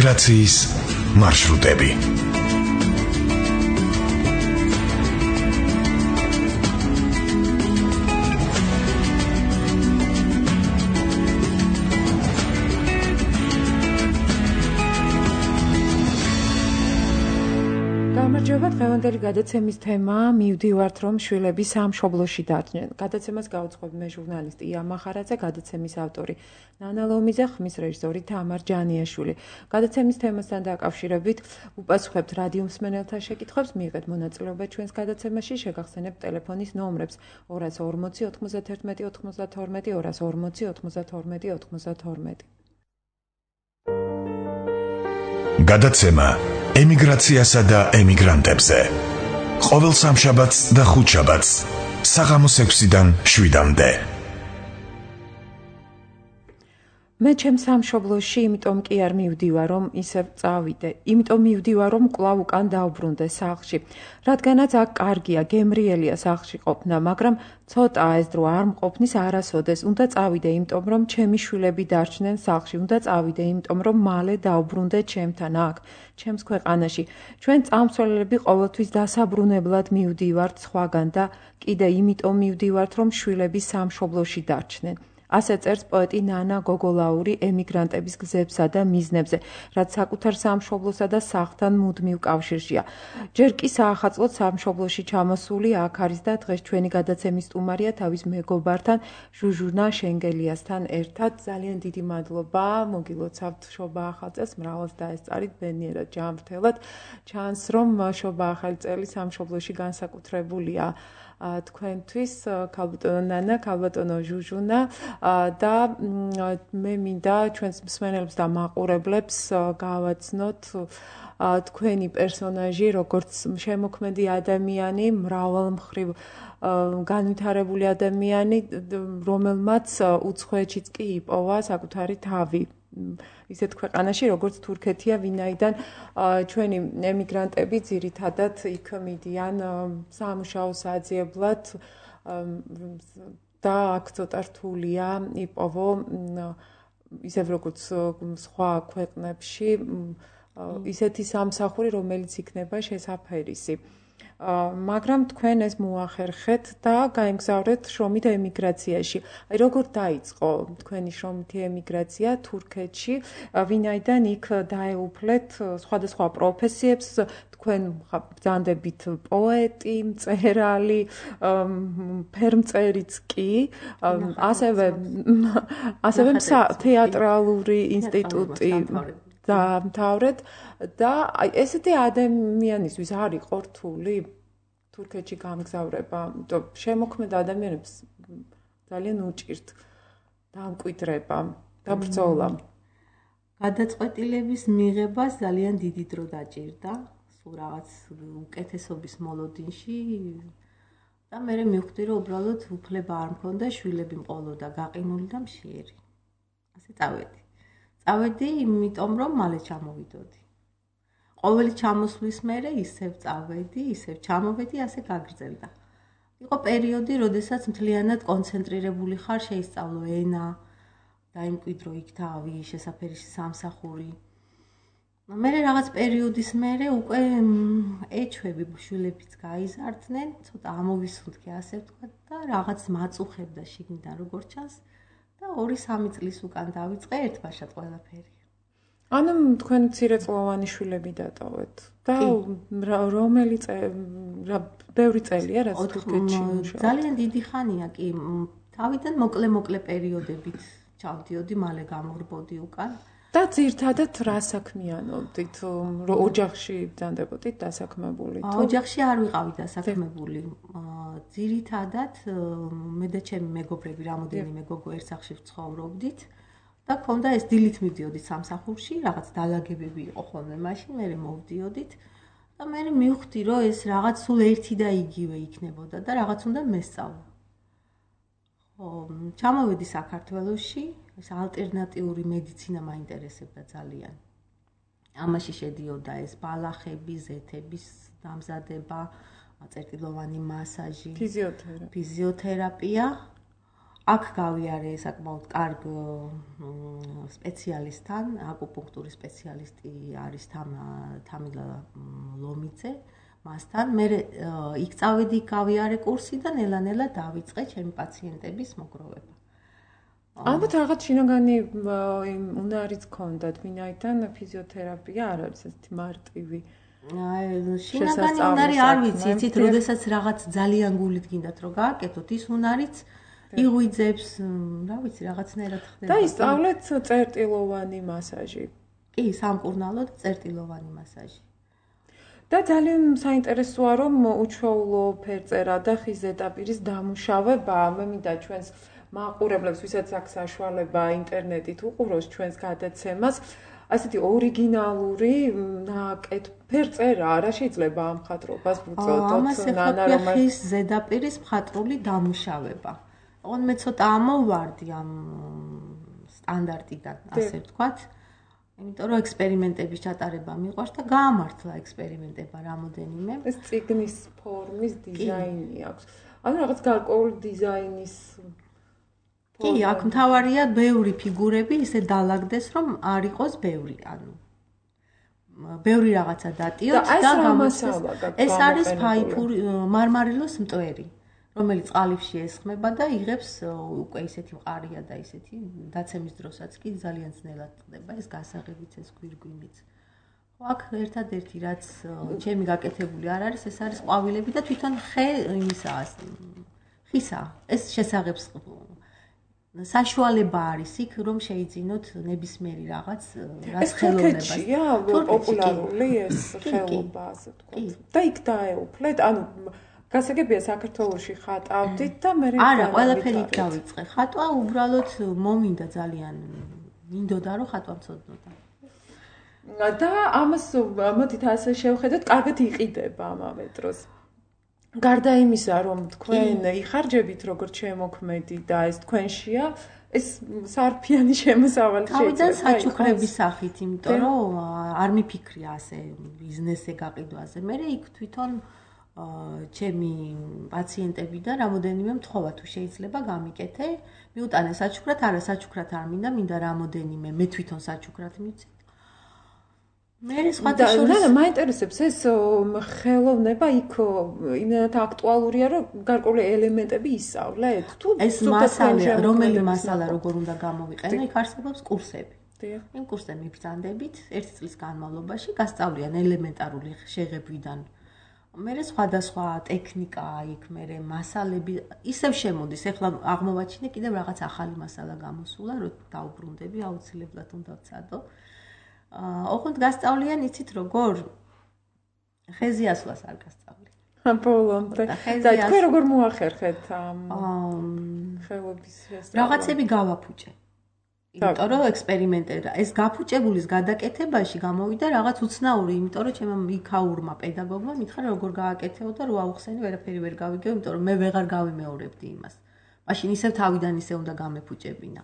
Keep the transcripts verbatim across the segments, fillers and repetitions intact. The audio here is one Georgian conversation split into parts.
ემიგრაციის მარშრუტები. გამარჯობა, დღევანდელი გადაცემის თემაა მივდივართ რომ შვილები სამშობლოში დარჩნენ. გადაცემას გაუძღვებ მე ჟურნალისტი ია მახარაძე, გადაცემის ავტორი ნანა ლომიძე, ხმის რეჟისორი თამარ ჯანიაშვილი. გადაცემის თემასთან დაკავშირებით უპასუხებთ რადიო მსმენელთა შეკითხვებს, მიიღეთ მონაწილეობა ჩვენს გადაცემაში, შეგახსენებთ ტელეფონის ნომრებს ორას ორმოცი ოთხმოცდათერთმეტი ოთხმოცდათორმეტი, ორას ორმოცი ოთხმოცდათორმეტი ოთხმოცდათორმეტი. გადაცემა ემიგრაციასა და ემიგრანტებზე. ყოველ სამშაბათს და ხუთშაბათს საღამოს ექვსიდან შვიდამდე. მე ჩემ სამშობლოში, იმიტომ კი არ მივდივარ, რომ ისევ წავიდე. იმიტომ მივდივარ, რომ კვლავ უკან დავბრუნდე სახლში. რადგანაც აქ კარგია, გემრიელია სახლში ყოფნა, მაგრამ ცოტაა ეს დრო არ მყოფნის არასოდეს. უნდა წავიდე, იმიტომ რომ ჩემი შვილები დარჩნენ სახლში. უნდა წავიდე, იმიტომ რომ მალე დავბრუნდე ჩემთან აქ, ჩემს ქვეყანაში. ჩვენ წამსვლელები ყოველთვის დასაბრუნებლად მივდივართ სხვაგან და კიდე იმიტომ მივდივართ, რომ შვილები სამშობლოში დარჩნენ. ასე წერს პოეტი ნანა გოგოლაური ემიგრანტების გზებსა და მიზნებზე, რაც საკუთარ სამშობლოსა და სახლთან მუდმივ კავშირშია. ჯერ კი საახალწლოდ სამშობლოში ჩამოსული აქ არის და დღეს ჩვენი გადაცემის სტუმარია თავის მეგობართან, ჟუჟუნა შენგელიასთან ერთად. ძალიან დიდი მადლობა, მოგილოცავთ შობა ახალ წელს, მრავალს დაესწარით ბედნიერად ჯანმრთელად. ჩანს, რომ შობა ახალი წელი სამშობლოში განსაკუთრებულია თქვენთვის, ქალბატონო ნანა, ქალბატონო ჟუჟუნა და მე მინდა ჩვენს მსმენელებს და მაყურებლებს გავაცნოთ თქვენი პერსონაჟი, როგორც შემოქმედი ადამიანი, მრავალმხრივ განვითარებული ადამიანი, რომელმაც უცხოეთშიც კი იპოვა საკუთარი თავი. ისეთ ქვეყანაში, როგორც თურქეთია, ვინაიდან ჩვენი ემიგრანტები ძირითადად იქ მიდიან სამუშაოს აძიებლად და აქ ცოტა რთულია იპოვო, ისევ როგორც სხვა ქვეყნებში, ისეთი სამსახური, რომელიც იქნება შესაფერისი. მაგრამ თქვენ ეს მოახერხეთ და გაემგზავრეთ შრომით ემიგრაციაში. აი როგორ დაიწყო თქვენი შრომითი ემიგრაცია თურქეთში, ვინაიდან იქ დაეუფლეთ სხვადასხვა პროფესიებს, თქვენ ბრძანდებით პოეტი, მწერალი, ფერმწერიც კი, ასევე ასევე თეატრალური ინსტიტუტი დაამთავრეთ და ესეთი ადამიანისთვის არ იყო რთული თურქეთში გამგზავრება, იმიტომ შემოქმედ ადამიანებს ძალიან უჭირთ დამკვიდრება, საბრძოლა. გადაწყვეტილების მიღებას ძალიან დიდი დრო დაჭირდა, სულ რაღაც უკეთესობის მოლოდინში და მე მივხვდი, რომ უბრალოდ უფლება არ მქონდა, შვილები მყოლოდა გაყინული და მშიერი. ასე წავედი. წავედი, იმიტომ რომ მალე ჩამოვიდოდი. ყოველი ჩამოსვლის მერე ისევ წავედი, ისევ ჩამოვედი, ასე გაგრძელდა. იყო პერიოდი, როდესაც მთლიანად კონცენტრირებული ხარ, შეისწავლო ენა, დაიმკვიდრო იქ თავი, შესაფერისი სამსახური. მერე რაღაც პერიოდის მერე უკვე ეჩვევი შვილებიც გაიზარდნენ, ცოტა ამოვისუნთქე, ასე ვთქვა და რაღაც მაწუხებდა შიგნიდან როგორ ჩანს. და ორი სამი წლის უკან დავიწყე ერთბაშად ყველაფერი. ანუ თქვენ მცირეწლოვანი შვილები დატოვეთ და რომელი ბევრი წელია რაც თურქეთში მუშაობთ? ძალიან დიდი ხანია კი, თავიდან მოკლე-მოკლე პერიოდებით ჩავდიოდი, მალე გამორბოდი უკან. და ძირთადად რა საქმიანობდით? ოჯახში ბრძანდებოდით დასაქმებული? ოჯახში არ ვიყავი დასაქმებული. ძირითადად მე და ჩემი მეგობრები, რამოდენიმე მეგობრო ერთ სახლში ვცხოვრობდით და ქონდა ეს დილით მივდიოდით სამსახურში, რაღაც დალაგებები იყო ხოლმე მაშინ, მე მოვდიოდით და მე მივხვდი, რომ ეს რაღაც სულ ერთი და იგივე იქნებოდა და რაღაც უნდა მესწავლო. ხო, ჩამოვედი საქართველოში, ეს ალტერნატიული მედიცინა მაინტერესებდა ძალიან. ამაში შედიოდა ეს ბალახები, ზეთების დამზადება, წერტილოვანი მასაჟი, ფიზიოთერაპია. ფიზიოთერაპია აქ გავიარე საკმაოდ კარგ სპეციალისტთან, აკუპუნქტურის სპეციალისტი არის თამილა ლომიძე, მასთან. მე იქ წავედი, გავიარე კურსი და ნელა-ნელა დავიწყე ჩემი პაციენტების მოგროვება. ალბათ რაღაც შინაგანი უნარიც გქონდათ, ვინაიდან ფიზიოთერაპია არ არის ესეთი მარტივი. შინაგანი უნარი არ ვიცი, იცით, როდესაც რაღაც ძალიან გულით გინდათ რომ გააკეთოთ, ის უნარიც იღვიძებს, რა ვიცი, რაღაცნაირად ხდება. და ისწავლეთ წერტილოვანი მასაჟი. კი, სამკურნალო და წერტილოვანი მასაჟი. და ძალიან საინტერესოა რომ უჩვეულო ფერწერა და ხის ზედაპირის დამუშავება, მე მინდა ჩვენს მაყურებლებს, ვისაც აქვს საშუალება ინტერნეტით უყუროს ჩვენს გადაცემას, ასეთი ორიგინალური ნაკეთ ფერწერა, რა შეიძლება ამ მხატვრობას ვუწოდოთ, ამას ეხება ხის ზედაპირის მხატვრული დამუშავება. ოღონდ მე ცოტა ამოვარდი ამ სტანდარტიდან, ასე ვთქვათ. იმიტომ რომ ექსპერიმენტების ჩატარება მიყვარს და გაამართლა ექსპერიმენტება რამოდენიმე. ეს წიგნის ფორმის დიზაინი აქვს. ანუ რაღაც გარკვეული დიზაინის კი, აქ მთავარია ბევრი ფიგურები ისე დალაგდეს, რომ არ იყოს ბევრი, ანუ ბევრი რაღაცა დატიოთ და გამოსცეს. ეს არის ფაიფური მარმარილოს მტვერი, რომელიც ყალიფში ესხმება და იღებს უკვე ისეთი მყარია და ისეთი დაცემის დროსაც კი ძალიან ძნელად ხდება ეს გასაღებიც, ეს გვირგვინიც. ხო, აქ ერთადერთი რაც ჩემი გაკეთებული არ არის, ეს არის ყვავილები და თვითონ ხე იმისაა, ხისაა. ეს შესაღებს საშუალება არის იქ, რომ შეიძინოთ ნებისმიერი რაღაც, რაც ხელოვნებას. თურქეთშია პოპულარული ეს ხელობა, ასე ვთქვათ. და იქ დაეუფლეთ, ანუ გასაგებია საქართველოში ხატავდით და მე არა, ყველაფერი იქ დავიწყე. ხატვა უბრალოდ მომინდა ძალიან, მინდოდა რომ ხატვა მცოდნოდა. და ამას მოდით ასე შევხედოთ, კარგად იყიდება ამავე დროს. გარდა იმისა, რომ თქვენ იხარჯებით როგორც შემოქმედი და ეს თქვენშია, ეს სარფიანი შემოსავალი შეიძლება. თავიდან საჩუქრების სახით, იმიტომ რომ არ მიფიქრია ასე ბიზნესზე გაყიდვაზე. მე იქ თვითონ ჩემი პაციენტებიდან რამოდენიმე მთხოვა თუ შეიძლება გამიკეთე, მიუტანე საჩუქრად, არა საჩუქრად არ მინდა, მინდა რამოდენიმე მე თვითონ საჩუქრად მივცე. მე სხვათა შორის მაინტერესებს ეს ხელოვნება იქ იმდენად აქტუალურია, რომ გარკვეული ელემენტები ისწავლეთ თუ ეს მასალა, რომელი მასალა როგორ უნდა გამოვიყენო, იქ არსებობს კურსები. იმ კურსზე მიბრძანდებით ერთი წლის განმავლობაში, გასწავლიან ელემენტარული შეღებვიდან. მე სხვადასხვა ტექნიკა იქ, მე მასალები ისევ შემოდის, ეხლა აღმოვაჩინე კიდევ რაღაც ახალი მასალა გამოსულა, რომ დაუბრუნდები, აუცილებლად უნდა ვცადო. ოღონდ გასწავლიან, იცით როგორ? ხეზე ასვლას არ გასწავლიან. ბოლომდე. და თქვენ როგორ მოახერხეთ ამ ხელობის ეს? რაღაცები გავაფუჭე. იმიტომ რომ ექსპერიმენტერა, ეს გაფუჭებულის გადაკეთებაში გამოვიდა რაღაც უცნაური, იმიტომ რომ ჩემმა იქაურმა პედაგოგმა მითხრა როგორ გააკეთეო და რო აუხსენე, ვერაფერი ვერ გავიგე, იმიტომ რომ მე ვეღარ გავიმეორებდი იმას. მაშინ ისევ თავიდან ისე უნდა გამეფუჭებინა.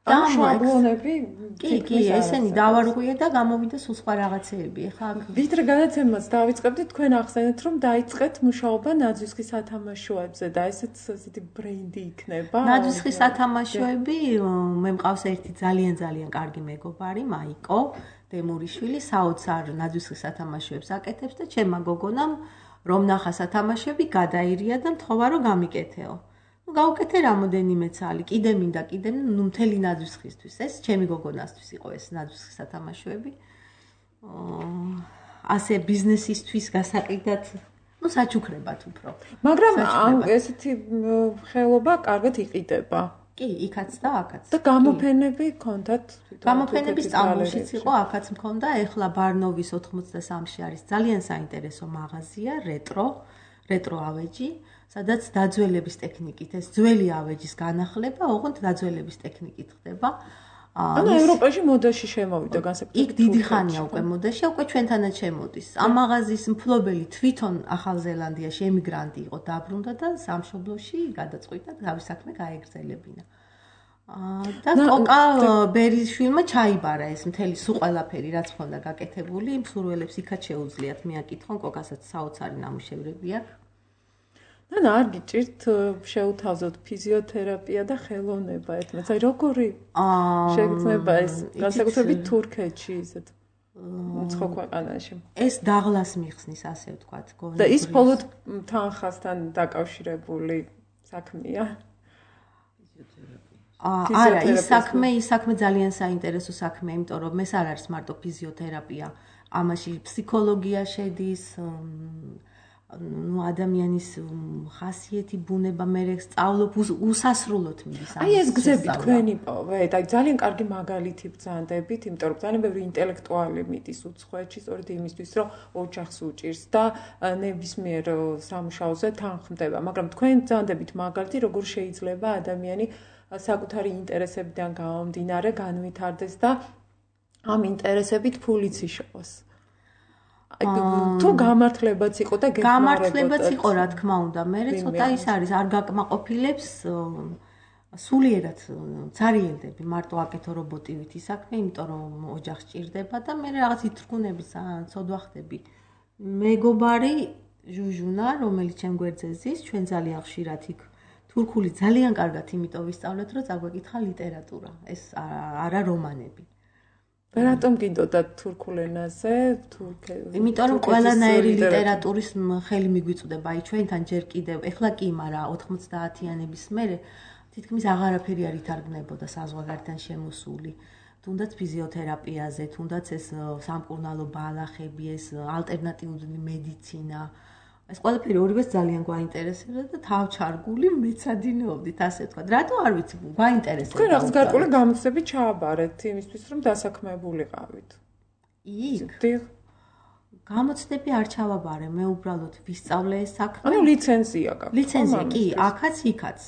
და შაბლონები კი, კი, ესენი დავარღვიე და გამოვიდა სულ სხვა რაღაცეები. ეხლა ვიდრე გადაცემას დავიწყებდით, თქვენ ახსენეთ, რომ დაიწყეთ მუშაობა ნაძვისხის სათამაშოებზე და ესეც ესეთი ბრენდი იქნება. ნაძვისხის სათამაშოები, მე მყავს ერთი ძალიან ძალიან კარგი მეგობარი, მაიკო დემურიშვილი, საოცარ ნაძვისხის სათამაშოებს აკეთებს და ჩემმა გოგონამ რომ ნახა სათამაშოები, გადაირია და მთხოვა რომ გამიკეთეო. ნუ გავუკეთე რამოდენიმე ცალი, კიდე მინდა, კიდე, ნუ მთელი ნაძვისხისთვის. ეს ჩემი გოგონასთვის იყო ეს ნაძვისხის სათამაშოები. ასე ბიზნესისთვის გასაყიდად, ნუ საჩუქრებად უფრო. მაგრამ ესეთი ხელობა კარგად იყიდება. კი, იქაც და აქაც. და გამოფენები გქონდათ? გამოფენები სტამბოლშიც იყო, აქაც მქონდა, ეხლა ბარნოვის ოთხმოცდასამში არის ძალიან საინტერესო მაღაზია, რეტრო, რეტრო ავეჯი. სადაც დაძველების ტექნიკით ეს ძველი ავეჯის განახლება, ოღონდ დაძველების ტექნიკით ხდება. ანუ ევროპაში მოდაში შემოვიდა განსაკუთრებით. იქ დიდი ხანია უკვე მოდაში, უკვე ჩვენთანაც შემოდის. ამ მაღაზიის მფლობელი თვითონ ახალ ზელანდიაში ემიგრანტი იყო, დაბრუნდა და სამშობლოში გადაწყვიტა თავის საქმე გაეგრძელებინა. და კოკა ბერიშვილმა ჩაიბარა ეს მთელი სულ ყველაფერი, რაც ჰქონდა გაკეთებული, მსურველებს იქაც შეუძლიათ მიაკითხონ, კოკასაც საოცარი ნამუშევრები აქვს. ან არ გიჭირთ შეუთავაზოთ ფიზიოთერაპია და ხელოვნება ერთმანეთს. აი როგორი შეგრძნება ეს განსაკუთრებით თურქეთში ისეთ უცხო ქვეყანაში. ეს დაღლას მიხსნის, ასე ვთქვათ, და ის მხოლოდ თანხასთან დაკავშირებული საქმეა. არა, ის საქმე, ის საქმე ძალიან საინტერესო საქმეა, იმიტომ რომ ეს არ არის მარტო ფიზიოთერაპია, ამაში ფსიქოლოგია შედის, ну ადამიანის ხასიათი, ბუნება, მე სწავლობ უსასრულოდ მიდის ამას. აი ეს გზები თქვენი პოვეთ, აი ძალიან კარგი მაგალითი ბრძანდებით, იმიტომ რომ ძალიან ბევრი ინტელექტუალი მიდის უცხოეთში, სწორედ იმისთვის, რომ ოჯახს უჭირს და ნებისმიერ სამუშაოზე თანხმდება, მაგრამ თქვენ ბრძანდებით მაგალითი, როგორ შეიძლება ადამიანი საკუთარი ინტერესებიდან გამომდინარე განვითარდეს და ამ ინტერესებით ფულიც იშოვოს. თუ გამართლებაც იყო და გეხმარებოდა. გამართლებაც იყო, რა თქმა უნდა, მე ცოტა ის არის, არ გაკმაყოფილებს სულიერად ცარიელდები, მარტო აკეთო რობოტივით ის საქმე, იმიტომ რომ ოჯახს ჭირდება და მე რაღაც ითრგუნები, ცოდვა ხდები. მეგობარი ჟუჟუნა, რომელიც ჩემ გვერდზე ზის, ჩვენ ძალიან ხშირად იქ თურქული ძალიან კარგად იმიტომ ვისწავლეთ, რომ წაგვეკითხა ლიტერატურა, ეს არა რომანები. რატომ გინდოდა თურქულ ენაზე, თურქეთში? იმიტომ რომ ყველანაირი ლიტერატურის ხელი მიგვიწვდება, აი ჩვენთან ჯერ კიდევ, ეხლა კი, მაგრამ ოთხმოცდაათიანების მერე თითქმის აღარაფერი არ ითარგმნებოდა საზღვარგარეთთან შემოსული. თუნდაც ფიზიოთერაპიაზე, თუნდაც ეს სამკურნალო ბალახები, ეს ალტერნატიული მედიცინა. ეს ყველაფერი ორივეს ძალიან გვაინტერესებდა და თავჩარგული მეცადინეობდით, ასე ვთქვათ. რატო არ ვიცი, გვაინტერესებდა. თქვენ რაღაც გარკვეული გამოცდები ჩააბარეთ იმისთვის, რომ დასაქმებულიყავით. იქ. გამოცდები არ ჩავაბარე, მე უბრალოდ ვისწავლე ეს საქმე. ანუ ლიცენზია გაქვთ. ლიცენზია კი, აქაც იქაც.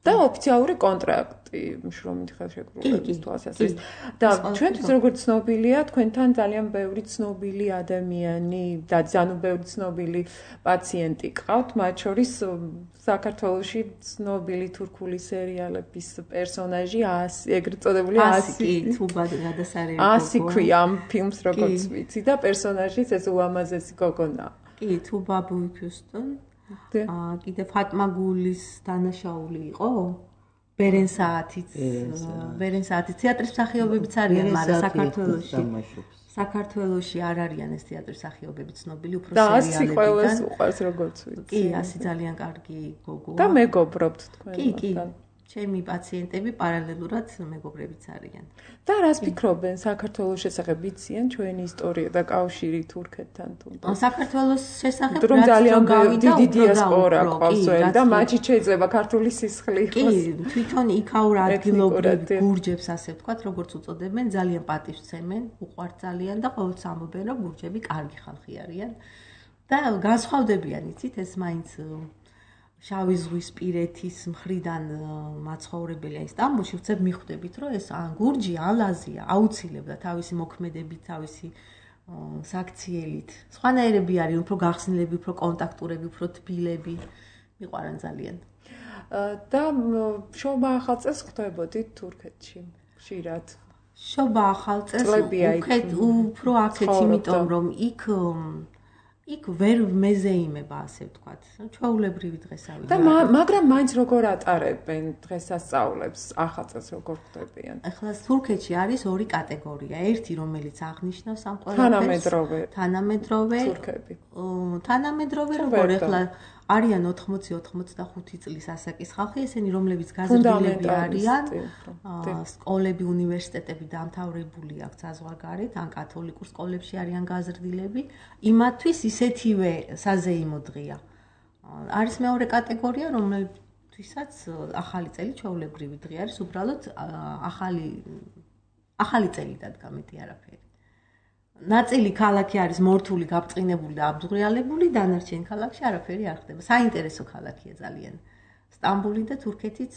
და ოფიციალური კონტრაქტი შრომით ხელშეკრულების თვალსაზრისით. და ჩვენთვის როგორც ცნობილია, თქვენთან ძალიან ბევრი ცნობილი ადამიანი და ძალიან ბევრი ცნობილი პაციენტი ყავთ, მათ შორის საქართველოში ცნობილი თურქული სერიალების პერსონაჟი ეგრეთ წოდებული ასი. თუ გადასარევი. ასი ქვია ამ ფილმს როგორც ვიცი და პერსონაჟიც ეს უამაზესი გოგონა. კი, თუ ბაბუი ქუსტონ. აა კიდე ფატმა გულის დანაშაული იყო ბერენ საათიც ბერენ საათიც თეატრის მსახიობებიც არიან, მაგრამ საქართველოში საქართველოში არ არიან ეს თეატრის მსახიობები ცნობილი, უფრო სერიალებიდან. და ასი ყველას უყვარს როგორც ვიცი. კი, ასი ძალიან კარგი გოგოა. და მეგობრობთ თქვენ. კი, კი. ჩემი პაციენტები პარალელურად მეგობრებიც არიან. და რას ფიქრობენ საქართველოს შესახებ, იციან ჩვენი ისტორია და კავშირი თურქეთთან თუნდაც? საქართველოს შესახებ რომ ძალიან დიდი დიასპორა ყავს და მათი შეიძლება ქართული სისხლი იყოს. კი, თვითონ იქაურ ადგილობრივ გურჯებს, ასე ვთქვათ, როგორც უწოდებენ, ძალიან პატივსცემენ, უყვართ ძალიან და ყოველთვის ამბობენ, რომ გურჯები კარგი ხალხი არიან და განსხვავდებიან, იცით, ეს მაინც შავი ზღვის პირეთის მხრიდან მაცხოვრებელი აი სტამბოლში ვცებ მიხვდებით, რომ ეს ან გურჯი, ან ლაზია აუცილებლად თავისი მოქმედებით, თავისი საქციელით. სხვანაირები არის, უფრო გახსნილები, უფრო კონტაქტურები, უფრო თბილები. მიყვარან ძალიან. და შობა ახალწელს ხვდებოდით თურქეთში, ხშირად. შობა ახალწელს უფრო აქეთ, იმიტომ რომ იქ იქ ვერ მეზეიმება, ასე ვთქვათ. ჩვეულებრივი დღესავი. და მაგრამ მაინც როგორ ატარებენ დღესასწაულებს, ახალწელს როგორ ხდებიან? ახლა თურქეთში არის ორი კატეგორია. ერთი, რომელიც აღნიშნავს ამ ყველაფერს. თანამედროვე. თანამედროვე. თურქები. თანამედროვე როგორ ახლა არიან ოთხმოცი ოცდახუთი წლის ასაკის ხალხი, ესენი რომლებიც გაზრდილები არიან, სკოლები, უნივერსიტეტები დამთავრებული აქვს საზღვარგარეთ, ან კათოლიკურ სკოლებში არიან გაზრდილები, იმათთვის ისეთივე საზეიმო დღეა. არის მეორე კატეგორია, რომლებთვისაც ახალი წელი ჩვეულებრივი დღე არის, უბრალოდ ახალი ახალი წელი დადგა, მეტი არაფერი. ნაწილი ქალაქი არის მორთული, გაბწყინებული და აბძღვრიალებული, დანარჩენი ქალაქში არაფერი არ ხდება. საინტერესო ქალაქია ძალიან. სტამბოლი და თურქეთიც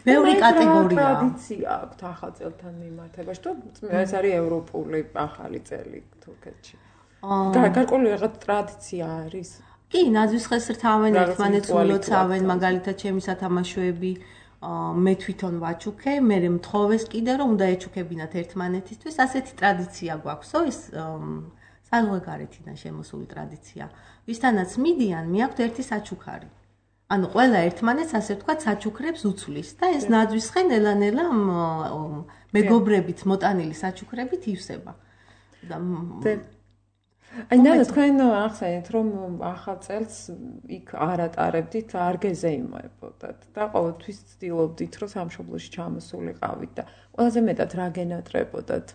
ბევრი კატეგორია. ტრადიცია აქვს ახალწელთან მიმართებაში, თუ ეს არის ევროპული ახალი წელი თურქეთში. გარკვეული რაღაც ტრადიცია არის. კი, ნაძვის ხელს რთავენ, ერთმანეთს ულოცავენ, მაგალითად ჩემი სათამაშოები მე თვითონ ვაჩუქე, მე მთხოვეს კიდე რომ უნდა ეჩუქებინათ ერთმანეთისთვის, ასეთი ტრადიცია გვაქვსო, ეს საზღვარგარეთიდან შემოსული ტრადიცია. ვისთანაც მიდიან, მიაქვთ ერთი საჩუქარი. ანუ ყველა ერთმანეთს ასე ვთქვათ საჩუქრებს უცვლის და ეს ნაძვისხენ ელანელა მეგობრებით მოტანილი საჩუქრებით ივსება. და აი ნანა თქვენ ახსენეთ რომ ახალ წელს იქ არ ატარებდით, არ გეზეიმოებოდათ და ყოველთვის ცდილობდით რომ სამშობლოში ჩამოსულიყავით და ყველაზე მეტად რა გენატრებოდათ?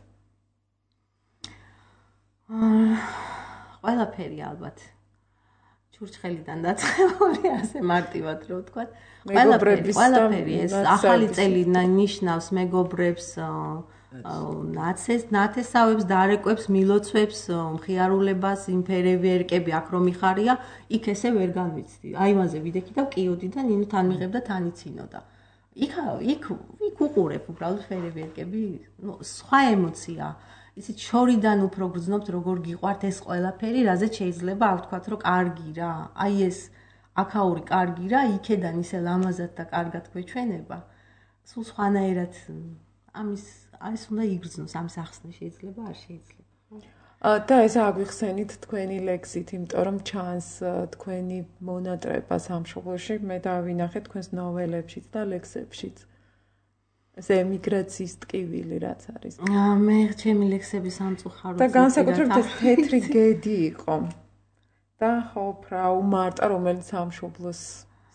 ყველაფერი ალბათ. ჩურჩხელიდან დაწყებული, ასე მარტივად რო ვთქვათ. ყველაფერი, ყველაფერი ეს ახალი წელი ნიშნავს მეგობრებს, ნაცეს, ნათესავებს, დარეკვებს, მილოცვებს, მხიარულებას, იმფერები, ერკები, აქ რომ იხარია, იქ ესე ვერ განვიცდი. აივანზე ვიდექი და ვკიოდი და ნინო თან მიღებდა, თან იცინოდა. იქ იქ იქ უყურებ უბრალოდ ფერები, ერკები, ნუ სხვა ემოცია. ისიც შორიდან უფრო გრძნობთ, როგორ გიყვართ ეს ყველაფერი, რაზეც შეიძლება არ ვთქვათ, რომ კარგი რა. აი ეს აქაური კარგი რა, იქედან ისე ლამაზად და კარგად გვეჩვენება. სულ სხვანაირად ამის ეს უნდა იგრძნოს, ამის ახსნა შეიძლება, არ შეიძლება. და ეს აგვიხსენით თქვენი ლექსით, იმიტომ რომ ჩანს თქვენი მონატრება სამშობლოში, მე დავინახე თქვენს ნოველებშიც და ლექსებშიც. ეს ემიგრაციის ტკივილი რაც არის. მე ჩემი ლექსები სამწუხაროდ და განსაკუთრებით ეს თეთრი გედი იყო. და ხო, ფრაუ მარტა, რომელიც სამშობლოს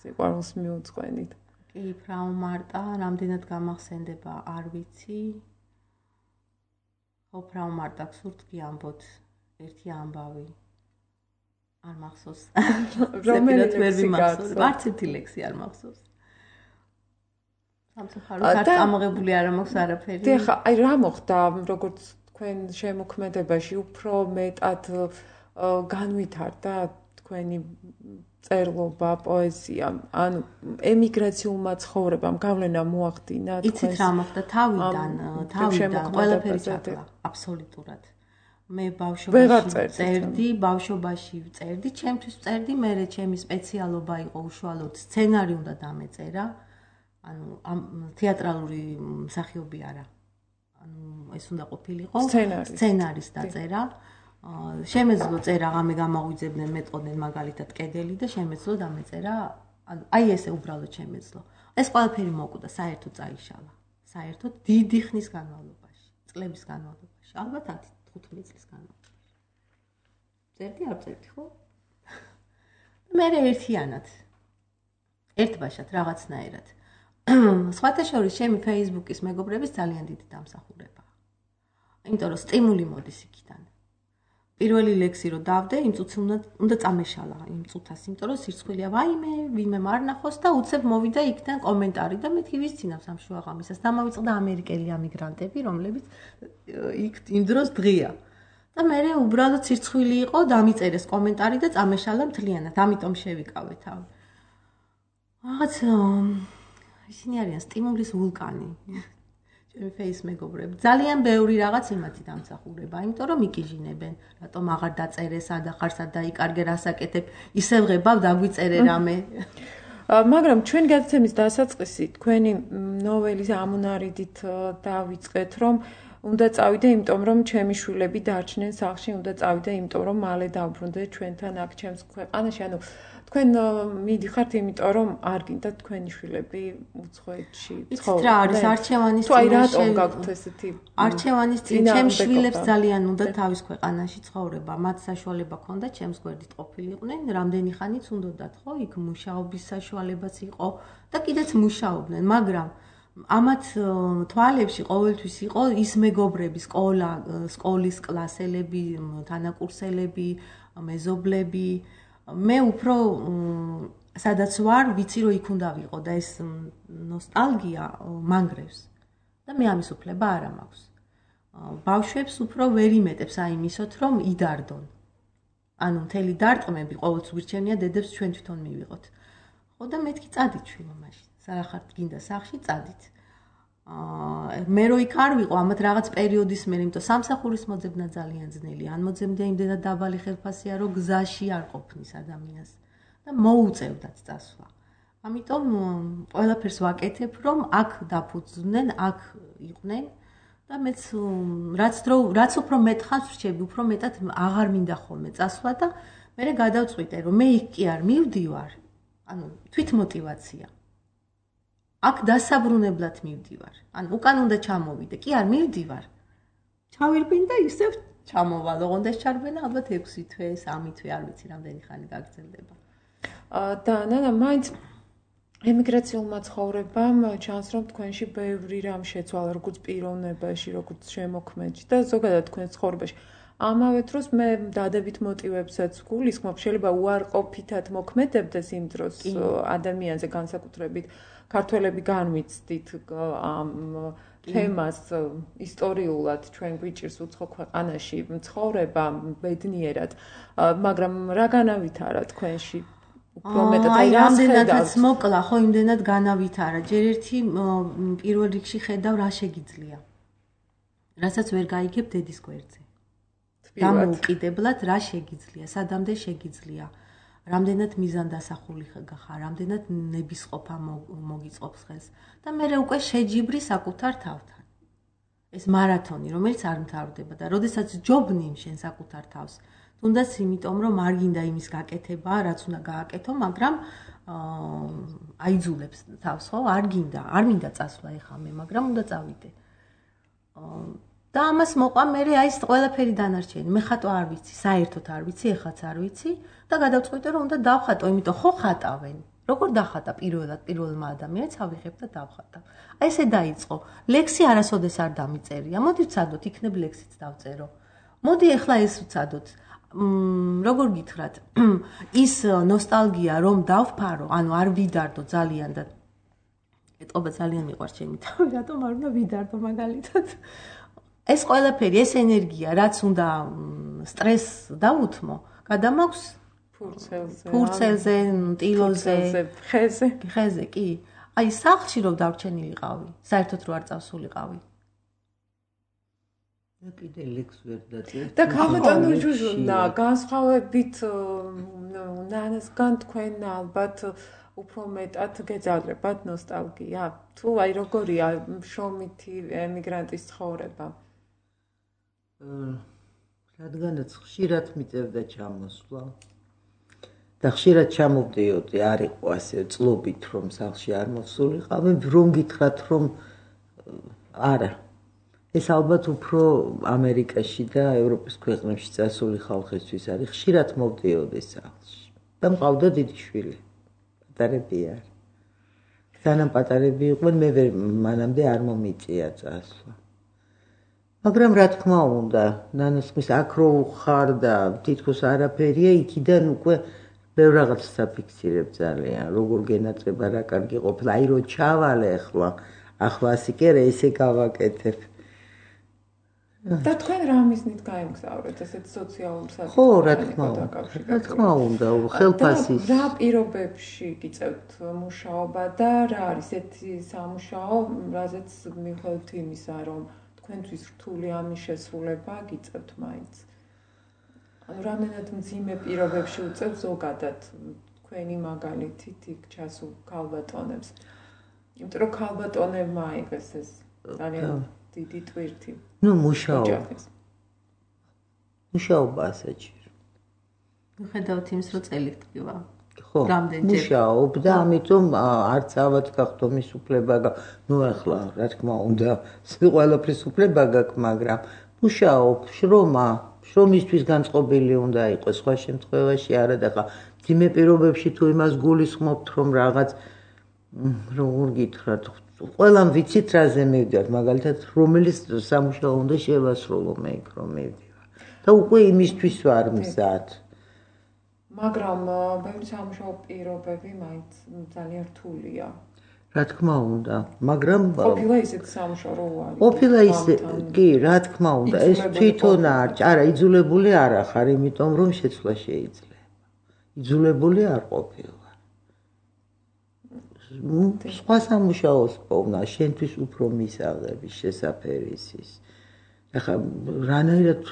სიყვარულს მიუძღვენით. კი, ფრაუ მარტა, რამდენად გამახსენდება, არ ვიცი. ხო, ფრაუ მარტა გსურთ გიამბოთ ერთი ამბავი. არ მახსოვს. რომელი ლექსი გახსოვს? არც ერთი ლექსი არ მახსოვს. სამწუხაროდ არ წამოღებული არ მაქვს არაფერი. და ხა, აი რა მოხდა, როგორც თქვენ შემოქმედებაში უფრო მეტად განვითარდა თქვენი წერლობა, პოეზია, ანუ ემიგრაციულმა ცხოვრებამ გავლენა მოახდინა თქვენს. იცით რა მოხდა თავიდან, თავიდან ყველაფერი ჩაკლა, აბსოლუტურად. მე ბავშვობაში წერდი, ბავშვობაში წერდი, ჩემთვის წერდი, მე ჩემი სპეციალობა იყო უშუალოდ სცენარი უნდა დამეწერა. ანუ ამ თეატრალური მსახიობი არა. ანუ ეს უნდა ყოფილიყო სცენარის დაწერა. შემეძლო წერა, ღამე გამაღვიძებდნენ, მეტყოდნენ მაგალითად კედელი და შემეძლო დამეწერა. ანუ აი ესე უბრალოდ შემეძლო. ეს ყველაფერი მოკვდა, საერთოდ წაიშალა. საერთოდ დიდი ხნის განმავლობაში, წლების განმავლობაში, ალბათ ათი თხუთმეტი წლის განმავლობაში. წერდი არ წერდი, ხო? მე ერთიანად. ერთბაშად რაღაცნაირად. სხვათა შორის ჩემი Facebook-ის მეგობრების ძალიან დიდი დამსახურებაა. იმიტომ რომ სტიმული მოდის იქიდან. პირველი ლექსი რო დავდე, იმ წუთს უნდა უნდა წამეშალა იმ წუთას, იმიტომ რომ სირცხვილია, ვაიმე, ვინმე მარნახოს და უცებ მოვიდა იქიდან კომენტარი და მეთქი ვისცინავს ამ შუაღამისას. დამავიწყდა ამერიკელი ამიგრანტები, რომლებიც იქ იმ დროს დღია. და მე უბრალოდ სირცხვილი იყო, დამიწერეს კომენტარი და წამეშალა მთლიანად, ამიტომ შევიკავე თავი. რაღაც ისინი არიან სტიმულის ვულკანი. ჩემი Facebook მეგობრები. ძალიან ბევრი რაღაც იმათი დამსახურება, იმიტომ რომ მიკიჟინებენ, რატომ აღარ დაწერე, სად ახარ სად დაიკარგე, რასაკეთებ, ისევ ღებავ, დაგვიწერე რამე. მაგრამ ჩვენ გადაცემის დასაწყისი თქვენი ნოველის ამონარიდით დავიწყეთ, რომ უნდა წავიდე, იმიტომ რომ ჩემი შვილები დარჩნენ სახლში, უნდა წავიდე, იმიტომ რომ მალე დავბრუნდე ჩვენთან აქ ჩემს ქვეყანაში, ანუ თქვენ მიდიხართ, იმიტომ რომ არ გინდა თქვენი შვილები უცხოეთში ცხოვრობენ. რა არის არჩევანის წინ? თუ აი რატომ გაქვთ ესეთი არჩევანის წინ ჩემ შვილებს ძალიან უნდა თავის ქვეყანაში ცხოვრება. მათ საშუალება ჰქონდათ ჩემს გვერდით ყოფილიყვნენ, რამდენი ხანიც უნდათ, ხო? იქ მუშაობის საშუალებაც იყო და კიდეც მუშაობდნენ, მაგრამ ამათ თვალებში ყოველთვის იყო ის მეგობრები, სკოლა, სკოლის კლასელები, თანაკურსელები, მეზობლები. მე უფრო სადაც ვარ, ვიცი რომ იქ უნდა ვიყო და ეს ნოსტალგია მანგრევს. და მე ამის უფლება არ მაქვს. ბავშვებს უფრო ვერ იმეტებს აიმისოთ, რომ იდარდონ. ანუ მთელი დარტყმები ყოველთვის გვირჩენია დედებს ჩვენ თვითონ მივიღოთ. ხო და მეთქი წადით შვილო მაშინ. სანახართ გინდა სახში წადით. აა მე რო იქ არ ვიყო, ამათ რაღაც პერიოდის მე, იმიტომ სამსახურის მოძებნა ძალიან ძნელია. ან მოძებნდა იმდენად დაბალი ხელფასია, რომ გზაში არ ყოფნის ადამიანს და მოუწევდათ წასვლა. ამიტომ ყველაფერს ვაკეთებ, რომ აქ დაფუძნდნენ, აქ იყვნენ და მეც რაც დრო რაც უფრო მეტ ხანს ვრჩები, უფრო მეტად აღარ მინდა ხოლმე წასვლა და მე გადავწყვიტე რომ მე იქ კი არ მივდივარ. ანუ თვით მოტივაცია. აქ დასაბრუნებლად მივდივარ. ანუ უკან უნდა ჩამოვიდე, კი არ მივდივარ. ჩავირბინ და ისევ ჩამოვალ, ოღონდ ეს ჩარბენა ალბათ ექვსი თვე, სამი თვე, არ ვიცი რამდენი ხანი გაგრძელდება. და ნანა, მაინც ემიგრაციულმა ცხოვრებამ ჩანს რომ თქვენში ბევრი რამ შეცვალა, როგორც პიროვნებაში, როგორც შემოქმედში და ზოგადად თქვენ ცხოვრებაში. ამავე დროს მე დადებით მოტივებსაც გულისხმობ, შეიძლება უარყოფითად მოქმედებდეს იმ დროს ადამიანზე განსაკუთრებით ქართველები განვიცდით ამ თემას ისტორიულად ჩვენ გვიჭირს უცხო ქვეყანაში ცხოვრება ბედნიერად, მაგრამ რა განავითარა თქვენში? უფრო მეტად აი რამდენადაც მოკლა, ხო, იმდენად განავითარა. ჯერ ერთი პირველ რიგში ხედავ რა შეგიძლია. რასაც ვერ გაიგებ დედის გვერდზე. დამოუკიდებლად რა შეგიძლია, სადამდე შეგიძლია. რამდენად მიზანდასახული ხარ, რამდენად ნებისყოფა მოგიწყობს ხელს და მე უკვე შეჯიბრი საკუთარ თავთან. ეს მარათონი, რომელიც არ მთავრდება და როდესაც ჯობნი შენ საკუთარ თავს, თუნდაც იმიტომ რომ არ გინდა იმის გაკეთება, რაც უნდა გააკეთო, მაგრამ აიძულებს თავს, ხო? არ გინდა, არ მინდა წასვლა ეხლა მე, მაგრამ უნდა წავიდე. და ამას მოყვა მე აი ეს ყველაფერი დანარჩენი. მე ხატვა არ ვიცი, საერთოდ არ ვიცი, ეხლაც არ ვიცი და გადავწყვიტე რომ უნდა დავხატო, იმიტომ ხო ხატავენ. როგორ დახატა პირველად პირველმა ადამიანს ავიღებ და დავხატავ. აი ესე დაიწყო. ლექსი არასოდეს არ დამიწერია. მოდი ვცადოთ, იქნებ ლექსიც დავწერო. მოდი ეხლა ეს ვცადოთ. როგორ გითხრათ, ის ნოსტალგია რომ დავფარო, ანუ არ ვიდარდო ძალიან და ეტყობა ძალიან მიყვარს ჩემი თავი, რატომ არ უნდა ვიდარდო მაგალითად. ეს ყველაფერი, ეს ენერგია, რაც უნდა სტრესს დაუთმო, გადამაქვს ფურცელზე, ფურცელზე, ტილოზე, ხეზე. ხეზე, კი. აი სახლში რომ დარჩენილიყავი, საერთოდ რო არ წავსულიყავი. და კიდე ლექს ვერ დაწერთ. და ქალბატონო ჟუჟუნა, განსხვავებით ნანასგან თქვენ ალბათ უფრო მეტად გეძალდებათ ნოსტალგია. თუ აი როგორია შრომითი ემიგრანტის ცხოვრება? რადგანაც ხშირად მიწევდა ჩამოსვლა და ხშირად ჩამოვდიოდი, არ იყო ასე წლობით რომ სახლში არ მოსულიყავი, რომ გითხრათ რომ არა. ეს ალბათ უფრო ამერიკაში და ევროპის ქვეყნებში წასული ხალხისთვის არის. ხშირად მოვდიოდი სახლში და მყავდა დიდი შვილი. პატარები არ. სანამ პატარები იყვნენ, მე ვერ მანამდე არ მომიწია წასვლა. მაგრამ რა თქმა უნდა, ნანასხმის აქ რო ხარ და თითქოს არაფერია, იქიდან უკვე ბევრ რაღაცას აფიქსირებ ძალიან, როგორ გენაწება, რა კარგი ყოფილა, აი რო ჩავალე ახლა, ახლა ასე კი არა, ესე გავაკეთებ. და თქვენ რა მიზნით გაემგზავრეთ ესეთ სოციალურ საკითხებში? ხო, რა თქმა უნდა, რა თქმა უნდა, ხელფასის. რა პირობებში გიწევთ მუშაობა და რა არის ეთი სამუშაო, რაზეც მიუხედავად იმისა, რომ თქვენთვის რთული ამის შესრულება გიწევთ მაინც. ანუ რამდენად მძიმე პირობებში უწევთ ზოგადად თქვენი მაგალითით იქ ჩასულ ქალბატონებს. იმიტომ რომ ქალბატონებმა აიღეს ეს ძალიან დიდი ტვირთი. ნუ მუშაობა. მუშაობა საჭირო. მიხედავთ იმის რომ წელი ტკივა. ხო, მუშაობ და ამიტომ არც ავად გახდომის უფლება, ნუ ახლა რა თქმა უნდა, ყველაფრის უფლება გაქვს, მაგრამ მუშაობ, შრომა, შრომისთვის განწყობილი უნდა იყოს, სხვა შემთხვევაში არა და ხა ძიმე პირობებში თუ იმას გულისხმობთ, რომ რაღაც როგორ გითხრათ, ყველამ ვიცით რაზე მივდივართ, მაგალითად, რომელიც სამუშაო უნდა შევასრულო მე იქ რომ მივდივარ. და უკვე იმისთვის ვარ მზად. მაგრამ ბევრი სამუშაო პირობები მაინც ძალიან რთულია. რა თქმა უნდა, მაგრამ ყოფილა ისეთ სამუშაო რო არის. ყოფილა ისე, კი, რა თქმა უნდა, ეს თვითონ არ, არა, იძულებული არ ახარ, იმიტომ რომ შეცვლა შეიძლება. იძულებული არ ყოფილა. სხვა სამუშაოს პოვნა, შენთვის უფრო მისაღების, შესაფერისის. ახლა რანაირად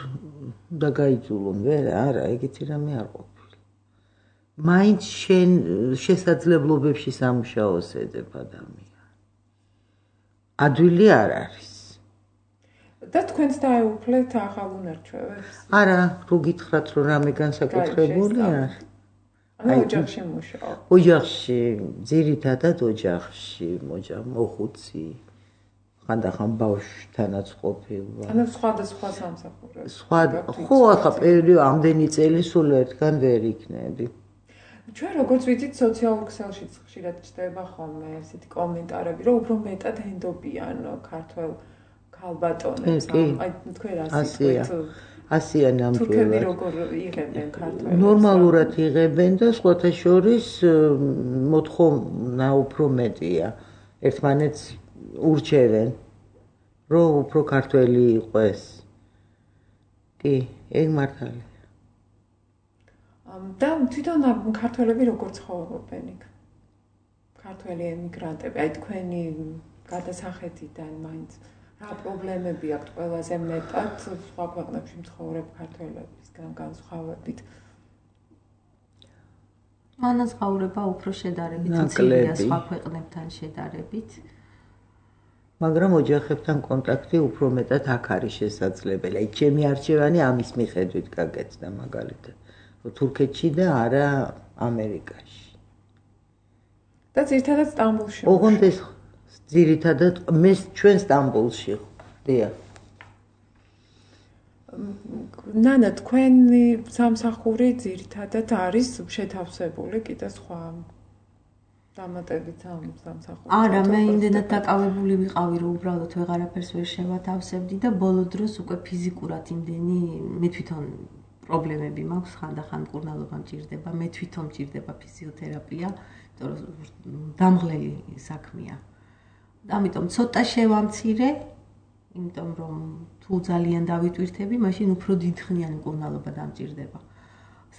უნდა გაიძულონ, ვერ, არა, ეგეთი რამე არ ყოფილა. მაინც შენ შესაძლებლობებში სამუშაოს ეძებ ადამიანი. ადვილი არ არის. და თქვენც დაეუფლეთ ახალ უნარჩვევებს? არა, რო გითხრათ რომ რამე განსაკუთრებული არ. ანუ ოჯახში მუშაობ. ოჯახში, ძირითადად ოჯახში, მოჯა მოხუცი. ხანდახან ბავშვთანაც ყოფილა. ანუ სხვადასხვა სამსახურებს. სხვა, ხო, ახლა პერიოდი ამდენი წელი სულ ერთგან ვერ იქნები. ჩვენ როგორც ვიცით, სოციალურ ქსელშიც ხშირად ჩდება ხოლმე ესეთი კომენტარები, რომ უფრო მეტად ენდობიან ქართველ ქალბატონებს. აი, თქვენ ასე თქვით. ასია ნამდვილად. თურქები როგორ იღებენ ქართველებს? ნორმალურად იღებენ და სხვათა შორის მოთხოვნა უფრო მეტია. ერთმანეთს ურჩევენ, რომ უფრო ქართველი იყოს. კი, ეგ მართალია. და თვითონ ქართველები როგორ ცხოვრობენ იქ? ქართველი ემიგრანტები, აი თქვენი გადასახადიდან მაინც რა პრობლემები აქვთ ყველაზე მეტად სხვა ქვეყნებში მცხოვრებ ქართველებისგან განსხვავებით? განსხვავება უფრო შედარებით მცირეა სხვა ქვეყნებთან შედარებით. მაგრამ ოჯახებთან კონტაქტი უფრო მეტად აქ არის შესაძლებელი. აი, ჩემი არჩევანი ამის მიხედვით გაკეთდა მაგალითად. თურქეთში და არა ამერიკაში. და ძირითადად სტამბოლში. ოღონდ ეს ძირითადად მე ჩვენ სტამბოლში ვდია. ნანა, თქვენი სამსახური ძირითადად არის შეთავსებული კიდე სხვა დამატებით სამსახური. არა, მე იმდენად დაკავებული ვიყავი, რომ უბრალოდ ვეღარაფერს ვერ შევათავსებდი და ბოლო დროს უკვე ფიზიკურად იმდენი მე თვითონ პრობლემები მაქვს, ხანდახან მკურნალობა მჭირდება, მე თვითონ მჭირდება ფიზიოთერაპია, იმიტომ რომ დამღლელი საქმეა. ამიტომ ცოტა შევამცირე, იმიტომ რომ თუ ძალიან დავიტვირთები, მაშინ უფრო დიდხნიანი მკურნალობა დამჭირდება.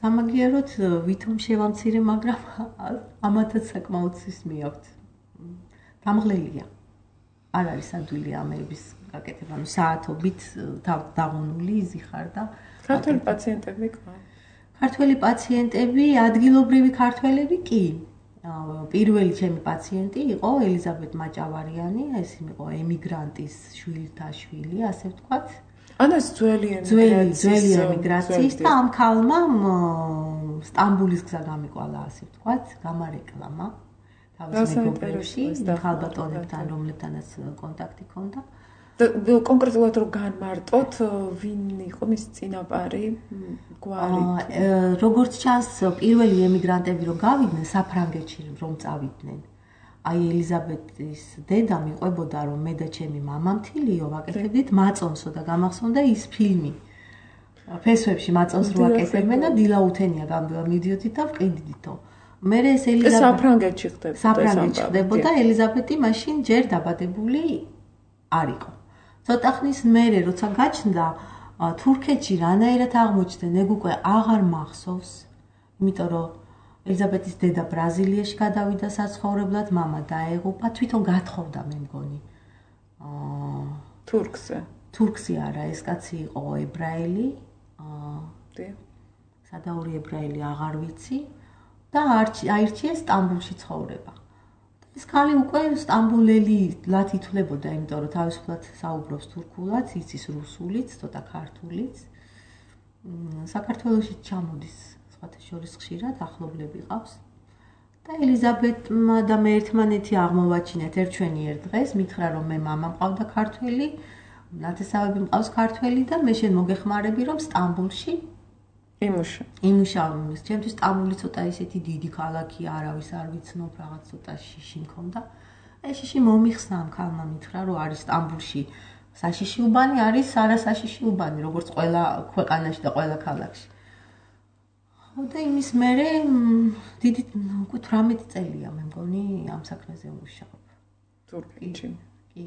სამაგიეროდ ვითომ შევამცირე, მაგრამ ამათაც საკმაოდ სისმე აქვთ. დამღლელია. არ არის ადვილი ამერების გაკეთება, ანუ საათობით დაღუნული იზიხარ და ქართველი პაციენტები ყავ. ქართველი პაციენტები, ადგილობრივი ქართველები კი. პირველი ჩემი პაციენტი იყო ელიზაბეთ მაჭავარიანი, ეს იყო ემიგრანტის შვილთა შვილი, ასე ვთქვათ. ანუ ეს ძველი ძველი ემიგრაციის და ამ ქალმა სტამბულის გზა გამიყვალა, ასე ვთქვათ, გამარეკლამა თავის მეგობრებში, ქალბატონებთან, რომლებთანაც კონტაქტი ჰქონდა. და კონკრეტულად რომ განმარტოთ, ვინ იყო მის წინაპარი, გვარი? როგორც ჩანს, პირველი ემიგრანტები რომ გავიდნენ საფრანგეთში რომ წავიდნენ. აი ელიზაბეთის დედა მიყვებოდა რომ მე და ჩემი მამა მთილიო ვაკეთებდით მაწონსო და გამახსოვდა ის ფილმი. ფესვებში მაწონს რო აკეთებენ და დილაუთენია მივდიოდით და ვყიდიდითო. მე ეს ელიზაბეთი საფრანგეთში ხდებოდა. საფრანგეთში ხდებოდა ელიზაბეთი მაშინ ჯერ დაბადებული არ იყო. ცოტა ხნის მერე როცა გაჩნდა თურქეთში რანაირად აღმოჩნდა, ეგ უკვე აღარ მახსოვს, იმიტომ რომ ელიზაბეთის დედა ბრაზილიაში გადავიდა საცხოვრებლად, მამა დაეღუპა, თვითონ გათხოვდა მე მგონი. აა თურქზე. თურქზე არა, ეს კაცი იყო ებრაელი. აა დე. სადაური ებრაელი აღარ ვიცი და აირჩიეს სტამბულში ცხოვრება. ეს ქალი უკვე სტამბულელი ლათ ითვლებოდა, იმიტომ რომ თავისუფლად საუბრობს თურქულად, იცის რუსულიც, ცოტა ქართულიც. საქართველოში ჩამოდის სხვათა შორის ხშირად, ახლობლები ყავს. და ელიზაბეთმა და მე ერთმანეთი აღმოვაჩინეთ ერთ-ჩვენი ერთ დღეს, მითხრა რომ მე მამა მყავდა ქართველი, ნათესავები მყავს ქართველი და მე შენ მოგეხმარები რომ სტამბულში იმუშა. იმუშავ. ჩემთვის სტამბული ცოტა ისეთი დიდი ქალაქია, არავის არ ვიცნობ, რაღაც ცოტა შიში მქონდა. ეს შიში მომიხსნა ამ ქალმა, მითხრა რომ არის სტამბულში საშიში უბანი, არის არასაშიში უბანი, როგორც ყველა ქვეყანაში და ყველა ქალაქში. და იმის მერე დიდი უკვე თვრამეტი წელია მე მგონი ამ საქმეზე ვმუშაობ. თურქეთში. კი.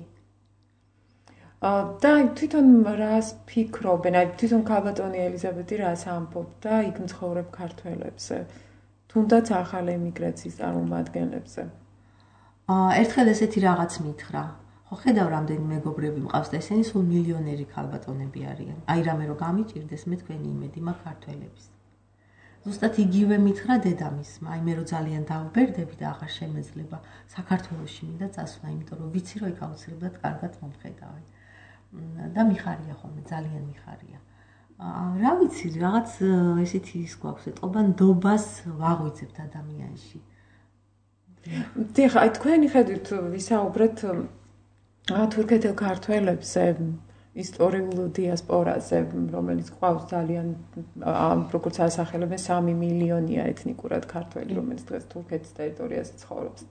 და თვითონ რას ფიქრობენ, აი თვითონ ქალბატონი ელიზაბეთი რას ამბობდა იქ მცხოვრებ ქართველებზე, თუნდაც ახალ ემიგრაციის წარმომადგენლებზე? აა ერთხელ ესეთი რაღაც მითხრა. ხო ხედავ რამდენი მეგობრები მყავს და ესენი სულ მილიონერი ქალბატონები არიან. აი რამე რომ გამიჭირდეს მე თქვენი იმედი მაქვს ქართველების. ზუსტად იგივე მითხრა დედამისმა, აი მე რომ ძალიან დავბერდები და აღარ შემეძლება საქართველოში მინდა წასვლა, იმიტომ რომ ვიცი რომ იქ აუცილებლად კარგად მომხედავენ. და მიხარია ხოლმე, ძალიან მიხარია. რა ვიცი, რაღაც ესეთი ის გვაქვს, ეტყობა ნდობას ვაღვიძებთ ადამიანში. დიახ, აი თქვენი ხედვით ვისაუბრეთ თურქეთელ ქართველებზე, ისტორიულ დიასპორაზე, რომელიც ყავს ძალიან, როგორც ასახელებენ, სამი მილიონია ეთნიკურად ქართველი, რომელიც დღეს თურქეთის ტერიტორიაზე ცხოვრობს.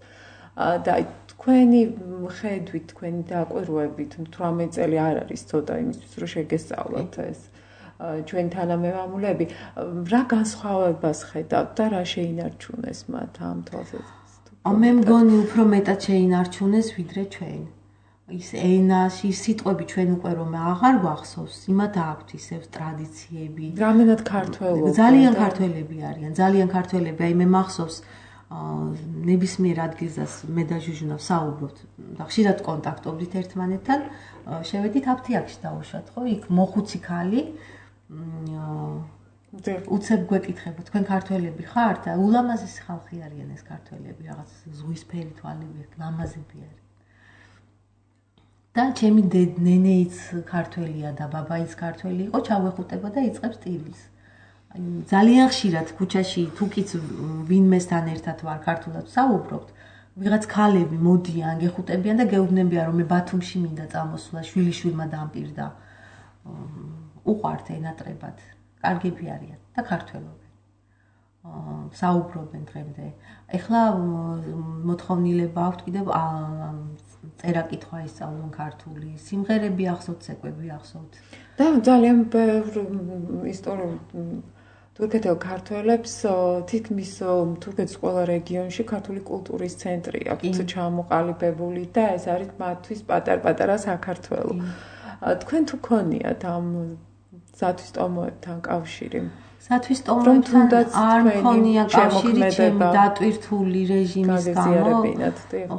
და აი თქვენი ხედვით, თქვენი დაკვირვებით, თვრამეტ წელი არ არის ცოტა იმისთვის, რომ შეგესწავლოთ ეს ჩვენი თანამემამულეები, რა განსხვავებას ხედავთ და რა შეინარჩუნეს მათ ამ თვალსაზრისით? მე მგონი უფრო მეტად შეინარჩუნეს ვიდრე ჩვენ. ის ენაში სიტყვები ჩვენ უკვე რომ აღარ გვახსოვს, იმათ აქვთ ისევ ტრადიციები. რამდენად ქართველები? ძალიან ქართველები არიან, ძალიან ქართველები. აი მე მახსოვს ნებისმიერ ადგილას მე და ჟუჟუნა ვსაუბრობთ და ხშირად კონტაქტობდით ერთმანეთთან. შევედით აფთიაქში დავუშვათ, ხო? იქ მოხუცი ქალი უცებ გვეკითხება, თქვენ ქართველები ხართ? ულამაზესი ხალხი არიან ეს ქართველები, რაღაც ზღვისფერი თვალები, ლამაზები არიან. და ჩემი ნენეიც ქართველია და ბაბაიც ქართველი იყო, ჩავეხუტება და იწყებს ტილის. ძალიან ხშირად ქუჩაში თუკიც ვინმესთან ერთად ვარ ქართულად ვსაუბრობთ, ვიღაც ქალები მოდიან, გეხუტებიან და გეუბნებიან რომ მე ბათუმში მინდა წამოსვლა, შვილიშვილმა დამპირდა. უყვართ ენატრებად, კარგები არიან და ქართველობენ. საუბრობენ დღემდე. ეხლა მოთხოვნილება აქვთ კიდევ წერა-კითხვა ისწავლონ ქართული, სიმღერები ახსოვთ, ცეკვები ახსოვთ. და ძალიან ბევრ ისტორიულ თურქეთელ ქართველებს თითქმის თურქეთის ყველა რეგიონში ქართული კულტურის ცენტრი აქვთ ჩამოყალიბებული და ეს არის მათთვის პატარ-პატარა საქართველო. თქვენ თუ ქონიათ ამ სათვისტომოებთან კავშირი? სათვისტომოებთან არ მქონია კავშირი ჩემი დატვირთული რეჟიმის გამო.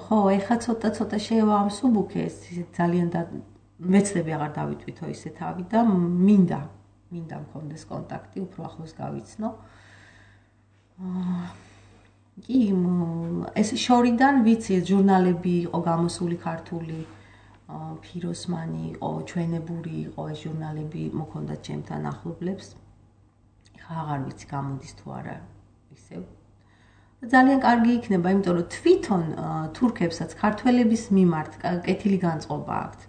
ხო, ეხლა ცოტა-ცოტა შევამსუბუქე ეს ძალიან მეცდები აღარ დავიტვითო ისე თავი და მინდა მინდა მქონდეს კონტაქტი, უფრო ახლოს გავიცნო. კი, ეს შორიდან ვიცი, ჟურნალები იყო გამოსული ქართული, ფიროსმანი იყო, ჩვენებური იყო ეს ჟურნალები, მოქონდათ ჩემთან ახლობლებს. ხა აღარ ვიცი გამოდის თუ არა ისევ. ძალიან კარგი იქნება, იმიტომ რომ თვითონ თურქებსაც ქართველების მიმართ კეთილი განწყობა აქვთ.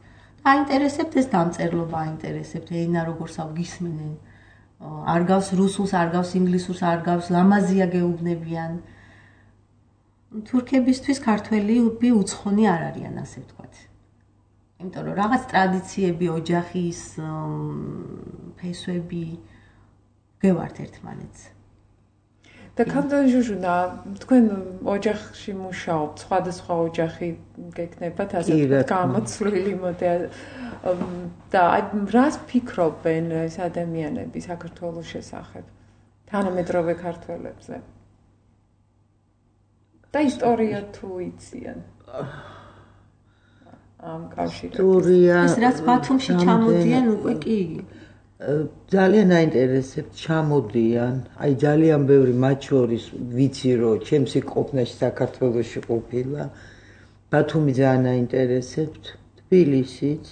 აინტერესებთ ეს დამწერლობა, აინტერესებთ ენა როგორ სავგისმენენ. არ გავს რუსულს, არ გავს ინგლისურს, არ გავს ლამაზია გეუბნებიან. თურქებისთვის ქართველები უცხონი არ არიან, ასე ვთქვათ. იმიტომ რომ რაღაც ტრადიციები, ოჯახის ფესვები გევართ ერთმანეთს. და ქანდან ჟუჟუნა, თქვენ ოჯახში მუშაობთ, სხვადასხვა ოჯახი გეკნებათ, ასე გამოცვლილი მოდელი. და აი რას ფიქრობენ ეს ადამიანები საქართველოს შესახებ, თანამედროვე ქართველებზე? და ისტორია თუ იციან? ამ კავშირებში. ეს რაც ბათუმში ჩამოდიან უკვე კი ძალიან აინტერესებთ ჩამოდიან, აი ძალიან ბევრი მათ შორის ვიცი რომ ჩემსი ყოფნაში საქართველოში ყოფილა, ბათუმი ძალიან აინტერესებთ, თბილისიც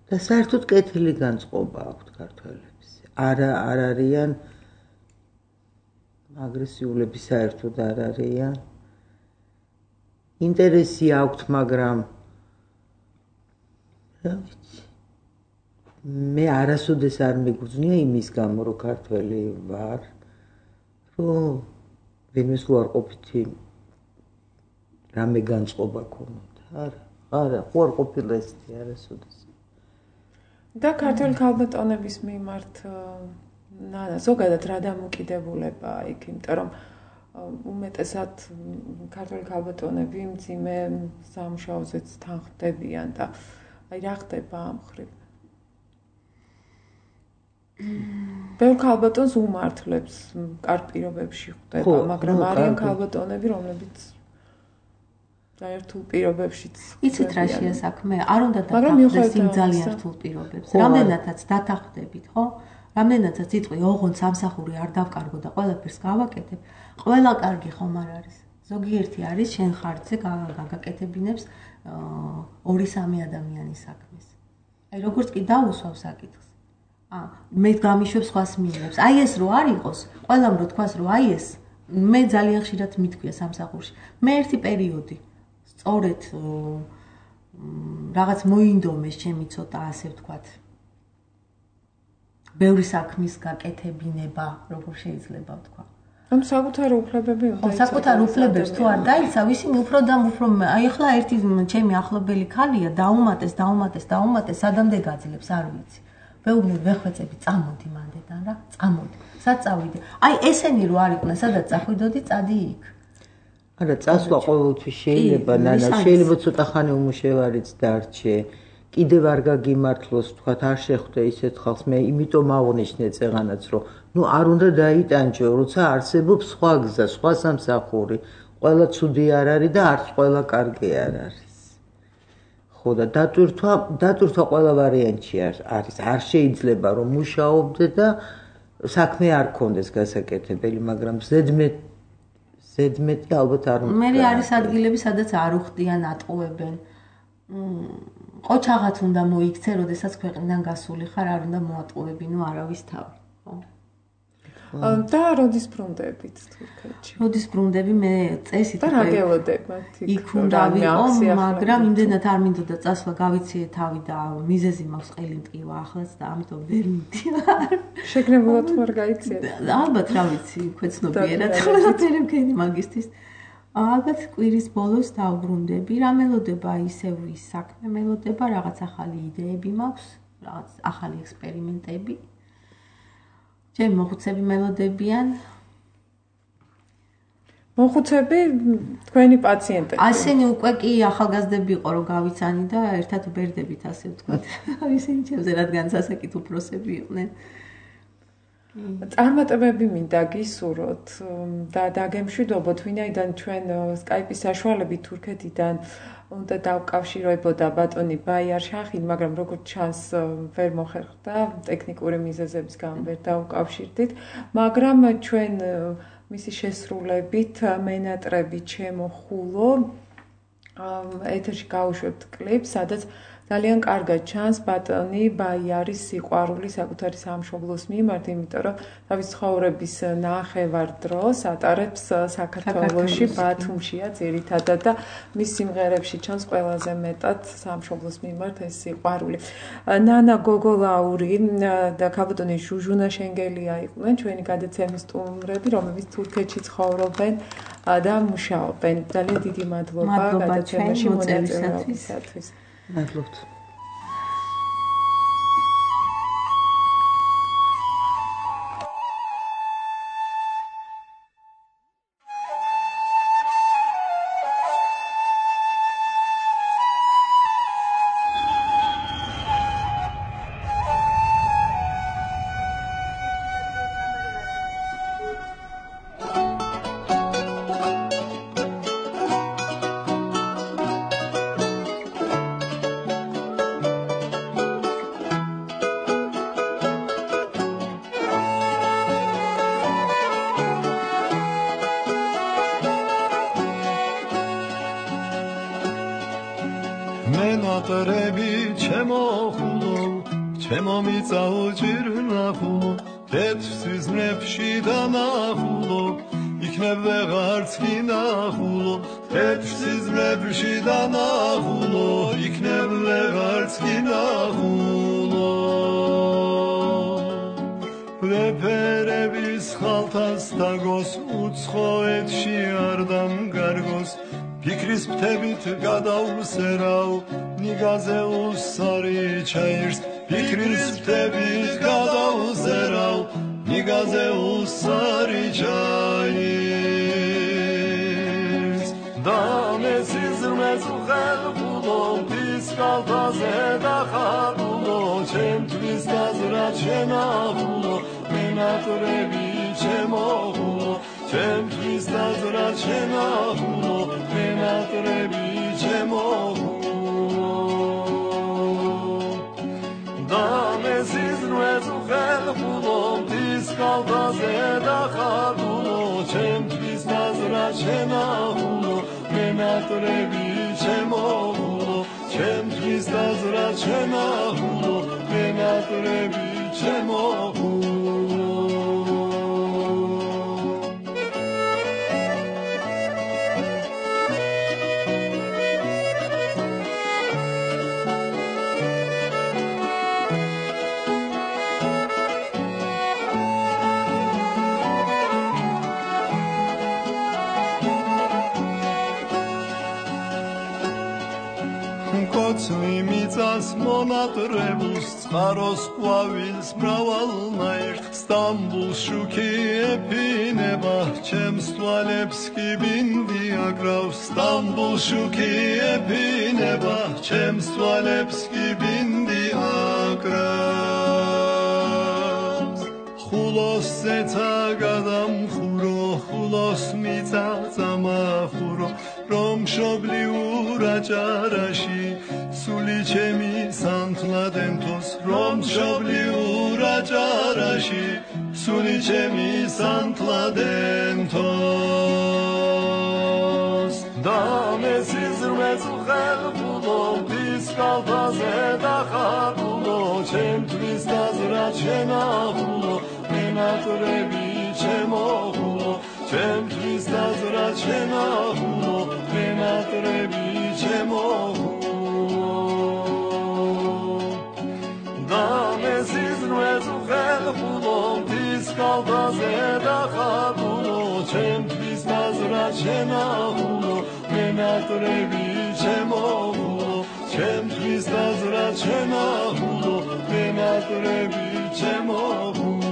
და საერთოდ კეთილი განწყობა აქვთ ქართველებს. არა არ არიან აგრესიულები, საერთოდ არ არიან. ინტერესი აქვთ, მაგრამ რა ვიცი მე არასოდეს არ მეგრძნია იმის გამო რომ ქართველი ვარ, რომ ვინმეს უარყოფითი რამე განწყობა ქონოდა. არა, არა, უარყოფილი ესეთი არასოდეს. და ქართული ქალბატონების მიმართ ზოგადად რა დამოკიდებულებაა იქ, იმიტომ რომ უმეტესად ქართული ქალბატონები მძიმე სამუშაოზეც თანხმდებიან და აი რა ხდება ამ ხრივ? ბევრ ქალბატონს უმართლებს კარგ პირობებში ხვდება, მაგრამ არიან ქალბატონები, რომლებიც ძალიან რთულ პირობებშიც. იცით რა შეასაქმე? არ უნდა დათანხმდეს იმ ძალიან რთულ პირობებს. რამდენადაც დათანხმდებით, ხო? რამდენადაც იტყვი, ოღონდ სამსახური არ დავკარგო და ყველაფერს გავაკეთებ, ყველა კარგი ხომ არ არის. ზოგიერთი არის შენ ხარჯზე გაგაკეთებინებს ორი სამი ადამიანის საქმეს. აი როგორც კი დაუსვავ საკითხს. აა მე გამიშვებს სხვას მიიღებს. აი ეს რო არ იყოს, ყველამ რო თქვას რომ აი ეს მე ძალიან ხშირად მithქვია სამსახურში. მე ერთი პერიოდი სწორედ რაღაც მოინდომეს ჩემი ცოტა ასე ვთქვათ. ბევრი საქმის გაკეთებინება, როგორ შეიძლება ვთქვა. ამ საკუთარი უფლებები უნდა იცოდეს. საკუთარი უფლებებს თუ არ დაიცავ, ისინი უფრო და უფრო აი ახლა ერთი ჩემი ახლობელი ქალია, დაუმატეს, დაუმატეს, დაუმატეს, სადამდე გაძლებს, არ ვიცი. ვეუბნები ვეხვეწები, წამოდი მანდედან რა, წამოდი. სად წავიდე? აი ესენი რო არ იყვნენ, სადაც წახვიდოდი, წადი იქ. არა, წასვლა ყოველთვის შეიძლება, ნანა, შეიძლება ცოტა ხანი უმუშევარიც დარჩე. კიდევ არ გაგიმართლოს, თქვათ, არ შეხვდე ისეთ ხალხს, მე იმიტომ აღნიშნე წეღანაც, რომ ნუ არ უნდა დაიტანჯო, როცა არსებობს სხვა გზა, სხვა სამსახური, ყველა ცუდი არ არის და არც ყველა კარგი არ არის. ხო და დატვირთვა, დატვირთვა ყველა ვარიანტში არის. არ შეიძლება რომ მუშაობდე და საქმე არ გქონდეს გასაკეთებელი, მაგრამ ზედმეტ ზედმეტი ალბათ არ უნდა. მე არის ადგილები, სადაც არ უხდიან, ატყუებენ. ყოჩაღაც უნდა მოიქცე, როდესაც ქვეყნიდან გასული ხარ, არ უნდა მოატყუები, ნუ არავის თავი, ხო? და როდის ბრუნდებით თურქეთში? როდის ბრუნდები მე წესით და რა გელოდებათ იქ უნდა ვიყო, მაგრამ იმდენად არ მინდოდა წასვლა, გავიციე თავი და მიზეზი მაქვს ყელი მტკივა ახლაც და ამიტომ ვერ მიდივარ. შეგნებულად ხარ გაიციეთ? ალბათ რა ვიცი, ქვეცნობიერად ყველაფერი მქენი მაგისტრის. ალბათ კვირის ბოლოს დავბრუნდები, რა მელოდება ისევ ის საქმე მელოდება, რაღაც ახალი იდეები მაქვს, რაღაც ახალი ექსპერიმენტები. ჩემი მოხუცები მელოდებიან. მოხუცები თქვენი პაციენტები. ასენი უკვე კი ახალგაზრდები იყო რომ გავიცანი და ერთად ვბერდებით ასე ვთქვათ. ისინი ჩემზე რადგან სასაკით უფროსები იყვნენ. წარმატებები მინდა გისურვოთ და დაგემშვიდობოთ, ვინაიდან ჩვენ Skype-ის საშუალებით თურქეთიდან უნდა დავკავშირებოდა ბატონი ბაიარ შახინ, მაგრამ როგორც ჩანს ვერ მოხერხდა, ტექნიკური მიზეზების გამო ვერ დავკავშირდით, მაგრამ ჩვენ მისი შესრულებით მენატრები ჩემო ხულო ეთერში გავუშვებთ კლიპს, სადაც ძალიან კარგად ჩანს ბატონი ბაიარის სიყვარული საკუთარი სამშობლოს მიმართ, იმიტომ რომ თავის ცხოვრების ნახევარ დროს ატარებს საქართველოში, ბათუმშია ძირითადად და მის სიმღერებში ჩანს ყველაზე მეტად სამშობლოს მიმართ ეს სიყვარული. ნანა გოგოლაური და ქალბატონი ჟუჟუნა შენგელია იყვნენ ჩვენი გადაცემის სტუმრები, რომლებიც თურქეთში ცხოვრობენ და მუშაობენ. ძალიან დიდი მადლობა გადაცემაში მონაწილეობისათვის. მადლობთ. მენატრები ჩემო ხულო, ჩემო მიწაო ჭირნახულო, თეთრ ნებში დანახულო, იქნებ ვეღარც კი ნახულო, თეთრ ნებში დანახულო, იქნებ ვეღარც კი ნახულო. ვეფერების ხალთას დაგოს, უცხოეთში არ დამგარგოს, ფიქრის ფრთებით გადავსერავ, ნიგაზე უსარი ჩაირს, ფიქრის ფრთებით გადავსერავ, ნიგაზე უსარი ჩაირს. და მესიზმეს უხელხულო, ფის ხალთაზე დახარულო, ჩემთვის დაზრა ჩემახულო, მენატრები ჩემოხულო, ჩემთვის დაზრა ჩემახულო, მენატრები ჩემოხულო. და მესიზმეს უხელხულო, ფის ხალთაზე დახარულო, ჩემთვის დაზრა ჩემახულო, მენატრები ჩემოხულო, ჩემთვის დაზრა შენახულო მენატრები ჩემოხულო კოცნი მიწას მონატრებულს წყაროს ყვავილს მრავალნაირ სტამბულს შუქი ეფინება ჩემს თვალებს კი ბინდი აკრავს სტამბულს შუქი ეფინება ჩემს თვალებს კი ბინდი აკრავს ხულოს ზეცა გადამხურო ხულოს მიწა წამახურო რომ მშობლიურ აჭარაში სული ჩემი სანთლადენთოს რომ მშობლიურ აჭარაში სული ჩემი სანთლადენთოს და მესიზრმეც ხელბულო ვის კალთაზე დახარბულო ჩემთვის დაზრა შენახულო მენატრები ჩემოხულო ჩემთვის დაზრა შენახულო მენატრები ჩემოხულო და მესიზრმეც ხელბულო ვის კალთაზე დახარბულო ჩემთვის დაზრა შენახულო მენატრები ჩემოხულო ჩემთვის დაზრა შენახულო მენატრები ჩემოხულო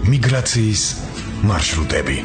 მიგრაციის მარშრუტები